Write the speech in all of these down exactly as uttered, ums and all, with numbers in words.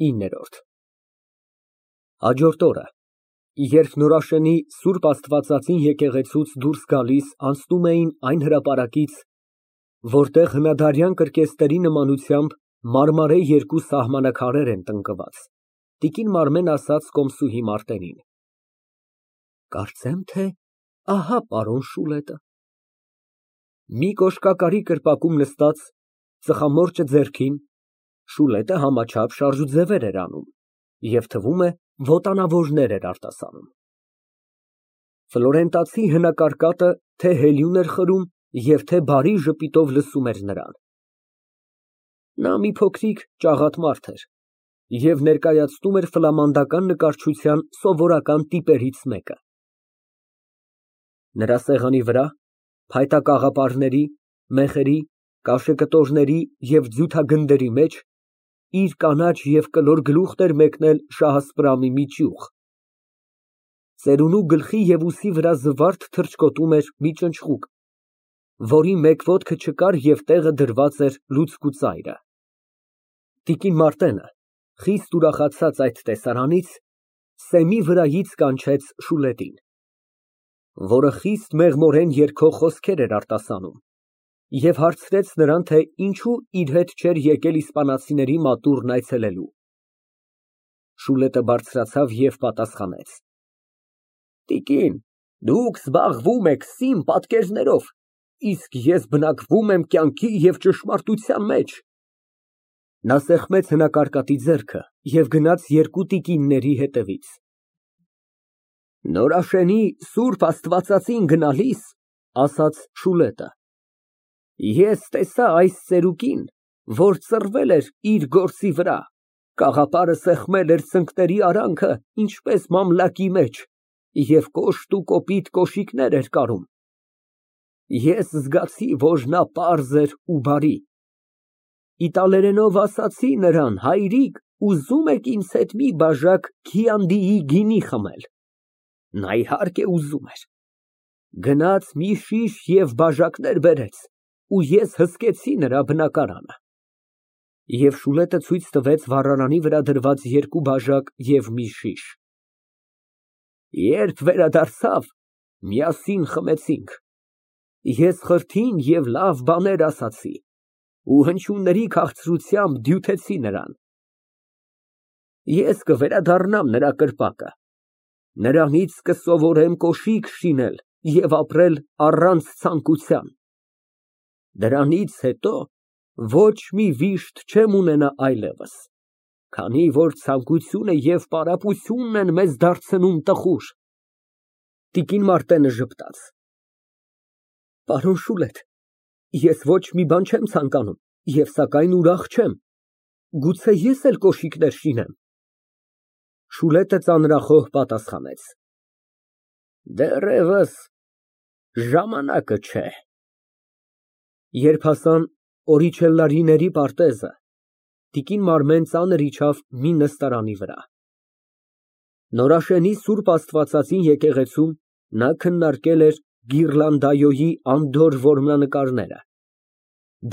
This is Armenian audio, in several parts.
ինը։ Հաջորդ օրը, երբ Նորաշենի Սուրբ Աստվածածին եկեղեցուց դուրս գալիս անցնում էին այն հրապարակից, որտեղ հնադարյան կրկեսների նմանությամբ մարմարե երկու սահմանակարեր են տնկված, տիկին Մարմեն ասաց կոմսուհի Մարտենին. Կարծեմ, թե ահա պարոն Շուլետը։ Մի կոշկակարի կրպակում նստած, ծխամորճը ձեռքին, Շուլետը համաչափ շարժուձևեր էր անում և, թվում է, ոտանավորներ էր արտասանում։ Ֆլորենտացի հնակարկատը թե հելյուն էր խրում և թե բարի ժպիտով լսում էր նրան։ Նա մի փոքրիկ ճաղատ մարդ էր և ներկայացնում էր ֆլամանդական նկարչության սովորական տիպերից մեկը։ Նրա սեղանի վրա, փայտա կաղապարների, մեխերի, կաշեկտորների և ձյութագնդերի մեջ իր կանաչ և կլոր գլուխն էր մեկնել շահասպրամի մի ճյուղ։ Ծերունու գլխի և ուսի վրա զվարթ թռչկոտում էր մի ճնճղուկ, որի մեկ ոտքը չկար և տեղը դրված էր լուցկու ծայրը։ Տիկին Մարտենը, խիստ ուրախացած այդ տեսարանից, սեմի վրայից կանչեց Շուլետին, որը խիստ մեղմորեն երգող խոսքեր էր արտասանում, և հարցրեց նրան, թե ինչու իր հետ չէր եկել իսպանացիների մատուռն այցելելու։ Շուլետը բարձրացավ և պատասխանեց. Տիկին, դուք զբաղվում եք սին պատկերներով, իսկ ես բնակվում եմ կյանքի և ճշմարտության մեջ։ Նա սեղմեց հնակարկատի ձեռքը և գնաց երկու տիկինների հետևից։ Նորաշենի Սուրբ Աստվածածին գնալիս, ասաց Շուլետը, ես տեսա այս ծերուկին, որ ծռվել էր իր գործի վրա, կաղապարը սեղմել էր ծնկների արանքը, ինչպես մամլակի մեջ, և կոշտ ու կոպիտ կոշիկներ էր կարում։ Ես զգացի, որ նա պարզ էր ու բարի։ Իտալերենով ասացի նրան. հայրիկ, ուզո՞ւմ եք ինձ հետ մի բաժակ քիանդիի գինի խմել։ Նա, իհարկե, ուզում էր։ Գնաց մի շիշ և բաժակներ բերեց, ու ես հսկեցի նրա բնակարանը։ Եվ Շուլետը ցույց տվեց վառարանի վրա դրված երկու բաժակ և մի շիշ։ Երբ վերադարձավ, միասին խմեցինք, ես խրթին և լավ բաներ ասացի ու հնչյունների քաղցրությամբ դյութեցի նրան։ Ես կվերադառնամ նրա կրպակը, նրանից կսովորեմ կոշիկ շինել և ապրել առանց ցանկության։ Դրանից հետո ոչ մի վիշտ չեմ ունենա այլևս, քանի որ ցանկությունը և պարապությունն են մեզ դարձնում տխուր։ Տիկին Մարտենը ժպտաց. Պարոն Շուլետ, ես ոչ մի բան չեմ ցանկանում և սակայն ուրախ չեմ, գուցե ես էլ կոշիկներ շինեմ։ Շուլետը ծանրախոհ պատասխանեց. Դեռևս ժամանակը չէ։ Երբ հասան Օրիչելլիների պարտեզը, տիկին Մարմեն ծանր իջավ մի նստարանի վրա։ Նորաշենի Սուրբ Աստվածածին եկեղեցում նա քննարկել էր Գիրլանդայոյի անդորր որմնանկարները,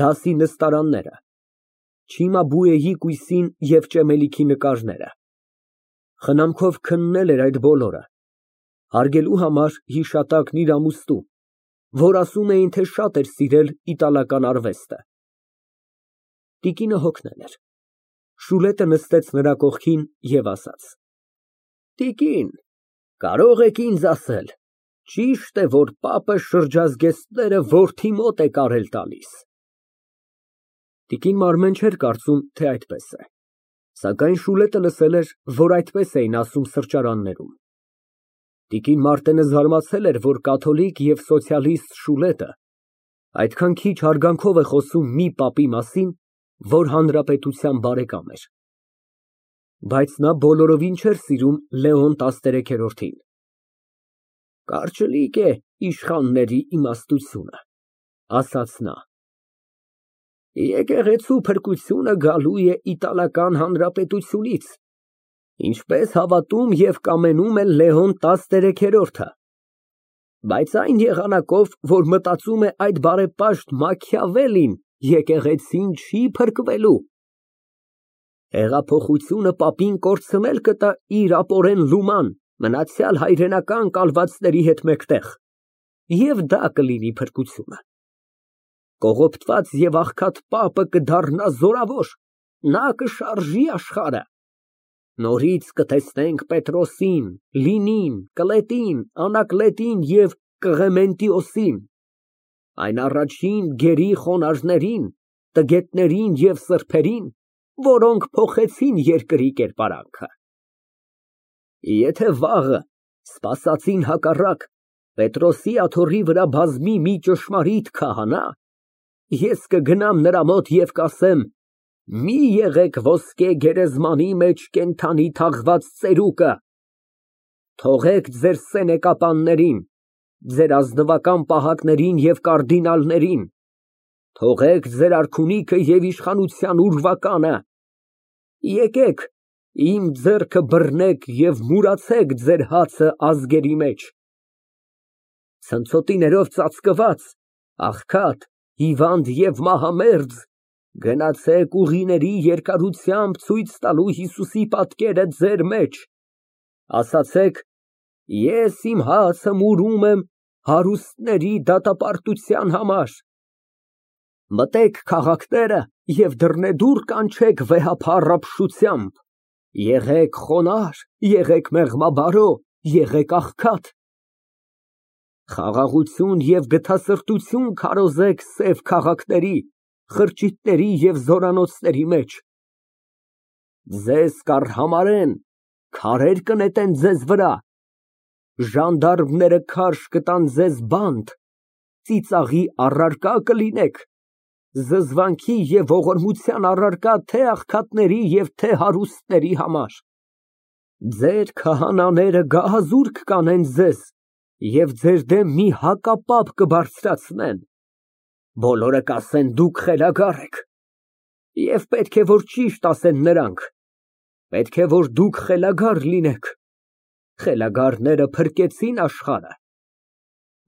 դասի նստարանները, Չիմաբուեի կույսին և ճեմելիքի նկարները, խնամքով քննել էր այդ բոլորը, հարգելու համար հիշատակն իր ամուստու, որ ասում էին, թե շատ էր սիրել իտալական արվեստը։ Տիկինը հոգնել էր։ Շուլետը նստեց նրա կողքին և ասաց. Տիկին, կարող եք ինձ ասել, ճի՞շտ է, որ պապը շրջազգեստները որդի մոտ է կարել տալիս։ Տիկին Մարմեն չէր կարծում, թե այդպես է, սակայն Շուլետը լսել էր, որ այդպես էին ասում սրճարաններում։ Տիկին Մարտենը զարմացել էր, որ կաթոլիկ և սոցիալիստ Շուլետը այդքան քիչ հարգանքով է խոսում մի պապի մասին, որ հանրապետության բարեկամ էր։ Բայց նա բոլորովին չէր սիրում Լեոն տասներեքորդին։ Կարճլիկ է իշխանների իմաստությունը, ասաց նա։ Եկեղեցու փրկությունը գալու է Իտալական Հանրապետությունից, ինչպես հավատում և կամենում է Լեոն տասներեքորդը, բայց այն եղանակով, որ մտածում է այդ բարեպաշտ Մաքիավելին, եկեղեցին չի փրկվելու։ Հեղափոխությունը պապին կորցնել կտա իր ապորեն լուման, մնացյալ հայրենական կալվածների հետ մեկտեղ, և դա կլինի փրկությունը։ Կողոպտված և աղքատ պապը կդառնա զորավոր, նա կշարժի աշխարհը։ Նորից կտեսնենք Պետրոսին, Լինին, Կլետին, Անակլետին և Կղեմենտիոսին, այն առաջին գերի խոնարհներին, տգետներին և սրբերին, որոնք փոխեցին երկրի կերպարանքը։ Եթե վաղը, սպասածին հակառակ, Պետրոսի աթոռի վրա բազմի մի ճշմարիտ քահանա, ես կգնամ նրա մոտ և կասեմ. «Մի եղեք ոսկե գերեզմանի մեջ կենդանի թաղված ծերուկը, թողեք ձեր սենեկապաններին, ձեր ազնվական պահակներին և կարդինալներին, թողեք ձեր արքունիքը և իշխանության ուրվականը, եկեք իմ ձեռքը բռնեք և մուրացեք ձեր հացը ազգերի մեջ»։ Ցնցոտիներով ծածկված, աղքատ, հիվանդ և մահամերձ գնացեք ուղիների երկարությամբ ցույց տալու Հիսուսի պատկերը ձեր մեջ, ասացեք. «Ես իմ հացը մուրում եմ հարուստների դատապարտության համար»։ Մտեք քաղաքները և դռնեդուռ կանչեք վեհափառ ապշությամբ, եղեք խոնարհ, եղեք մեղմաբարո, եղեք աղքատ, խաղաղություն և գթասրտություն քարոզեք սև քաղաքների, խրճիթների և զորանոցների մեջ։ Ձեզ կառհամարեն, քարեր կնետեն ձեզ վրա, ժանդարմները քարշ կտան ձեզ բանտ, ծիծաղի առարկա կլինեք, զզվանքի և ողորմության առարկա թե աղքատների և թե հարուստների համար։ Ձեր քահանաները գահազուրկ կանեն ձեզ և ձեր դեմ մի հակապատ կբարձրացնեն, բոլորը կասեն. «Դուք խելագար եք»։ Եվ պետք է որ ճիշտ ասեն նրանք, պետք է որ դուք խելագար լինեք, խելագարները փրկեցին աշխարհը։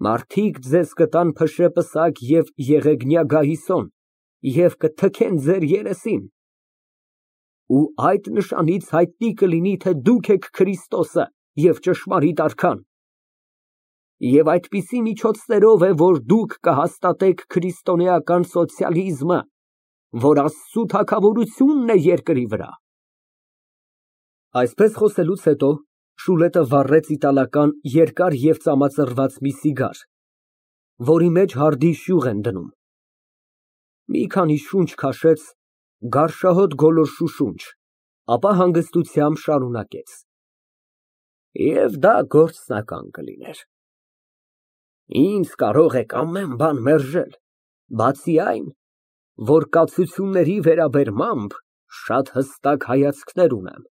Մարդիկ ձեզ կտան փշեպսակ և եղեգնյա գահիսոն և կթքեն ձեր երեսին։ Ու այդ նշանից հայտնի կլինի, թե դուք եք Քրիստոսը և ճշմարիտ արքան։ Եվ այդպիսի միջոցներով է, որ դուք կհաստատեք քրիստոնեական սոցիալիզմը, որ Աստծու թագավորությունն է երկրի վրա։ Այսպես խոսելուց հետո Շուլետը վառեց իտալական երկար և ծամածռված մի սիգար, որի մեջ հարդի շյուղ են դնում, մի քանի շունչ քաշեց, գարշահոտ գոլորշու շունչ, ապա հանգստությամբ շարունակեց. Եվ դա գործնական կլիներ։ Ինձ կարող եք ամեն բան մերժել, բացի այն, որ կացությունների վերաբերմամբ շատ հստակ հայացքներ ունեմ։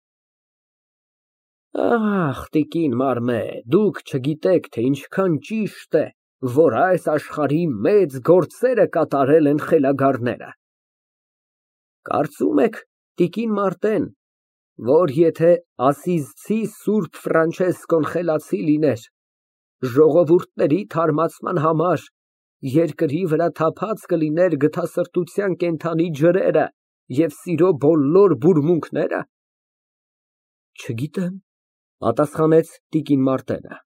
Ախ, տիկին Մարմե, դուք չգիտեք, թե ինչքան ճիշտ է, որ այս աշխարհի մեծ գործերը կատարել են խելագարները։ Կարծում եք, տիկին Մարտեն, որ եթե ասիզցի Սուրբ Ֆրանչեսկոն խելացի լիներ, ժողովուրդների թարմացման համար երկրի վրա թափած կլիներ գթասրտության կենդանի ջրերը և սիրո բոլոր բուրմունքները։ Չգիտեմ, պատասխանեց տիկին Մարտենը,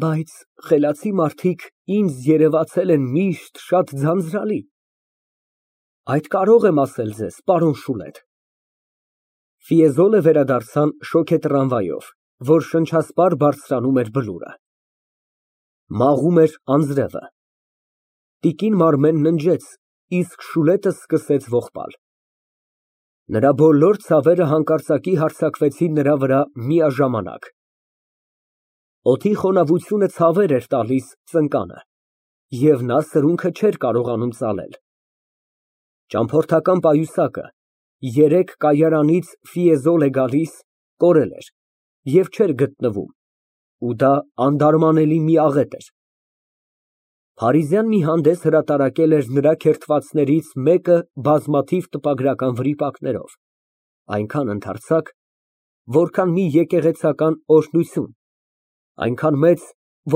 բայց խելացի մարդիկ ինձ երևացել են միշտ շատ ձանձրալի։ Այդ կարող եմ ասել ձեզ, պարոն Շուլետ։ Ֆիեզոլը վերադարձան շոգե տրամվայով, որ շնչասպառ բարձրանում էր բլուրը։ Մաղում էր անձրևը։ Տիկին Մարմեն ննջեց, իսկ Շուլետը սկսեց ողբալ։ Նրա բոլոր ցավերը հանկարծակի հարձակվեցին նրա վրա միաժամանակ։ Օդի խոնավությունը ցավեր էր տալիս ծնկանը, և նա սրունքը չէր կարողանում ծալել։ Ճամփորդական պայուսակը, երեկ կայարանից Ֆիեզոլ է գալիս, կորել էր և չէր գտնվում, ու դա անդարմանելի մի աղետ էր։ Փարիզյան մի հանդես հրատարակել էր նրա քերթվածներից մեկը բազմաթիվ տպագրական վրիպակներով, այնքան ընդարձակ, որքան մի եկեղեցական օրհնություն, այնքան մեծ,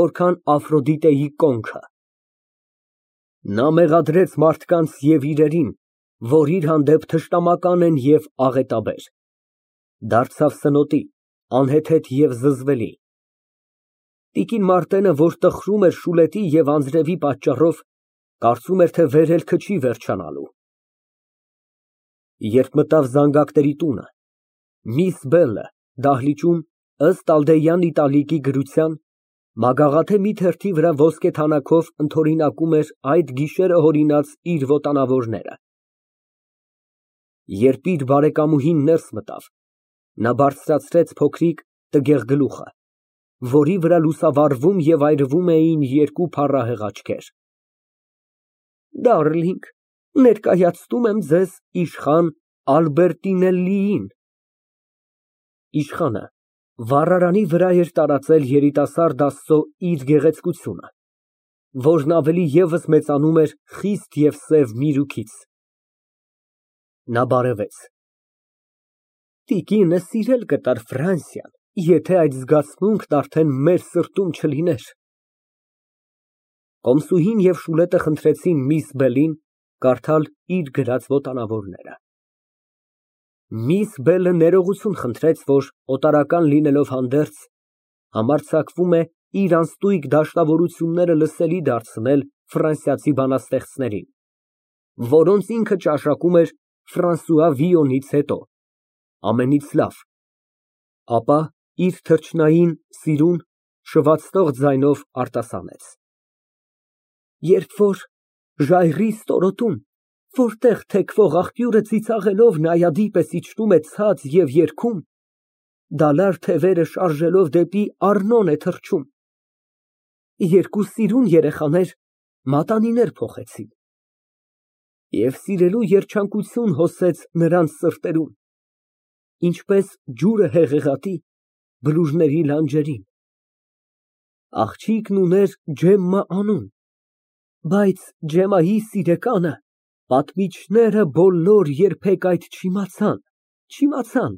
որքան Աֆրոդիտեի կոնքը։ Նա մեղադրեց մարդկանց և իրերին, որ իր հանդեպ թշնամական են և աղետաբեր, դարձավ սնոտի, անհեթեթ և զզվելի։ Տիկին Մարտենը, որ տխրում էր Շուլետի և անձրևի պատճառով, կարծում էր, թե վերելքը չի վերջանալու։ Երբ մտավ զանգակների տունը, միս Բելը դահլիճում, ըստ Ալդեյան Իտալիկի գրության, մագաղթե մի թերթի վրա ոսկե թանաքով ընդօրինակում էր այդ գիշերը հորինած իր վոտանավորները։ Երբ իր բարեկամուհին ներս մտավ, նա բարձրացրեց փոքրիկ, տգեղ գլուխը, որի վրա լուսավառվում և այրվում էին երկու փառահեղ աչքեր։ Դարլինգ, ներկայացնում եմ ձեզ իշխան Ալբերտինելլիին։ Իշխանը վառարանի վրա էր տարածել երիտասարդ աստծո իր գեղեցկությունը, որն ավելի ևս մեծանում էր խիստ և սև միրուքից։ Նա բարևեց։ Տիկինը սիրել կտար Ֆրանսիան, եթե այդ զգացմունքն արդեն մեր սրտում չլիներ։ Կոմսուհին և Շուլետը խնդրեցին միս Բելին կարդալ իր գրած վոտանավորները։ Միս Բելը ներողություն խնդրեց, որ օտարական լինելով հանդերձ, համարձակվում է իր անըստգյուտ դաշնավորությունները լսելի դարձնել ֆրանսիացի բանաստեղծներին, որոնց ինքը ճաշակում էր Ֆրանսուଆ Վիյոնից հետո, ամենից լավ, ապա իր թրջնային, սիրուն, շվացնող ձայնով արտասանեց. Երբ որ ժայռի ստորոտում, որտեղ թեքվող աղբյուրը ծիծաղելով նայադի պես իջնում է ցած և երգում, դալար թևերը շարժելով դեպի Առնոն է թռչում, երկու սիրուն երեխաներ մատանիներ փոխեցին, և սիրելու երջանկություն հոսեց նրանց սրտերում, ինչպես ջուրը հեղեղատի բլուրների լանջերին։ Աղջիկն ուներ Ջեմմա անուն, բայց Ջեմմայի սիրեկանը պատմիչները բոլոր երբեք այդ չիմացան, չիմացան։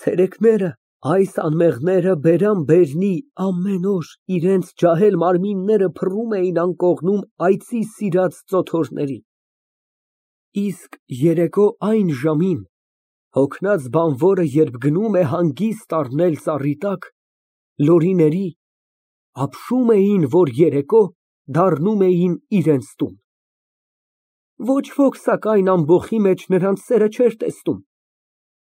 Ցերեկները այս անմեղները բերան֊բերնի ամեն օր իրենց ջահել մարմինները փռում էին անկողնում այծի սիրած ծոթորների, իսկ երեկո այն ժամին հոգնած բանվորը երբ գնում է հանգիստ առնել ծառի տակ, լորիների, ապշում էին, որ երեկո դառնում էին իրենց տուն։ Ոչ ոք, սակայն, ամբոխի մեջ նրանց սերը չէր տեսնում,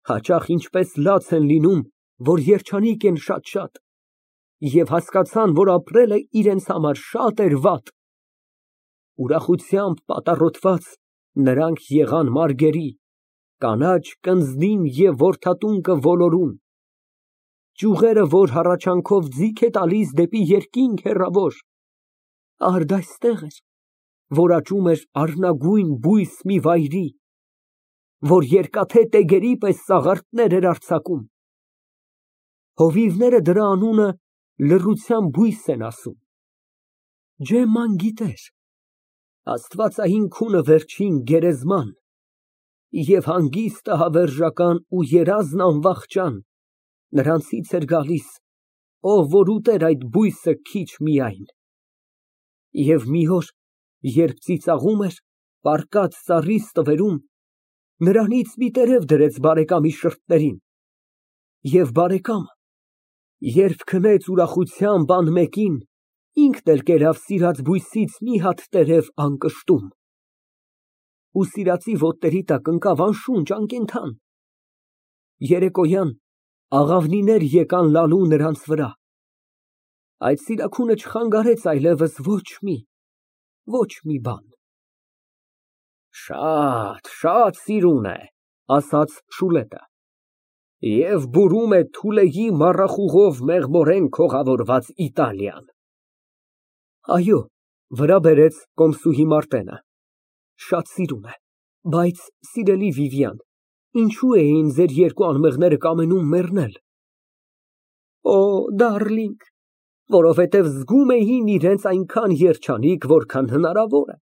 հաճախ ինչպես լաց են լինում, որ երջանիկ են շատ֊շատ, և հասկացան, որ ապրելը իրենց համար շատ էր վատ։ Ուրախությամբ պատառոտված, նրանք եղան մարգերի, կանաչ կնձնին և որդատունկը ոլորուն, ճյուղերը, որ հառաչանքով ձիգ է տալիս դեպի երկինք հեռավոր, արդ այստեղ էր, որ աճում էր առնագույն բույս մի վայրի, որ երկաթե տեգերի պես սաղարթներ էր արձակում, հովիվները դրա անունը լռության բույս են ասում։ Ջեմման գիտեր աստվածային քունը վերջին գերեզման, և հանգիստը հավերժական ու երազն անվախճան նրանցից էր գալիս, ով որ ուտեր այդ բույսը քիչ միայն։ Եվ մի օր, երբ ծիծաղում էր, պառկած ծառի ստվերում, նրանից մի տերև դրեց բարեկամի շրթերին, և բարեկամը, երբ քնեց ուրախությամբ անմեկին, ինքն էլ կերավ սիրած բույսից մի հատ տերև անկշտում, ու սիրածի ոտների տակ ընկավ անշունչ, անկենդան։ Երեկոյան աղավնիներ եկան լալու նրանց վրա, այդ սիրաքունը չխանգարեց այլևս ոչ մի, ոչ մի բան։ Շատ, շատ սիրուն է, ասաց Շուլետը, և բուրում է Թուլեի մառախուղով մեղմորեն քողավորված Իտալիան։ Այո, վրա բերեց կոմսուհի Մարտենը, շատ սիրուն է, բայց, սիրելի Վիվիան, ինչո՞ւ էին ձեր երկու անմեղները կամենում մեռնել։ Օ, դարլինգ, որովհետև զգում էին իրենց այնքան երջանիկ, որքան հնարավոր է,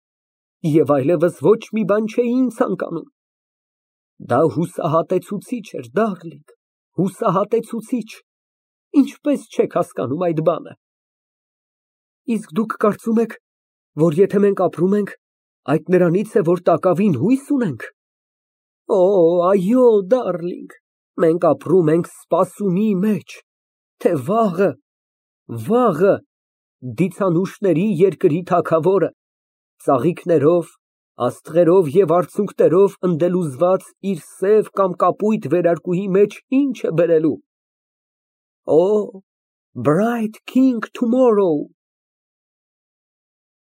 և այլևս ոչ մի բան չէին ցանկանում։ Դա հուսահատեցուցիչ էր, դարլինգ, հուսահատեցուցիչ, ինչպես չեք հասկանում այդ բանը։ Իսկ դուք կարծում եք, որ եթե մենք ապրում ենք, Այդ նրանից է, որ տակավին հույս ունենք։ Օ, այո, դարլինգ, մենք ապրում ենք սպասումի մեջ, թե վաղը, վաղը դիցանուշների երկրի թագավորը ծաղիկներով, աստղերով և արցունքներով ընդելուզված իր սև կամ կապույտ վերարկուի մեջ ինչ է բերելու։ Օ, bright king tomorrow։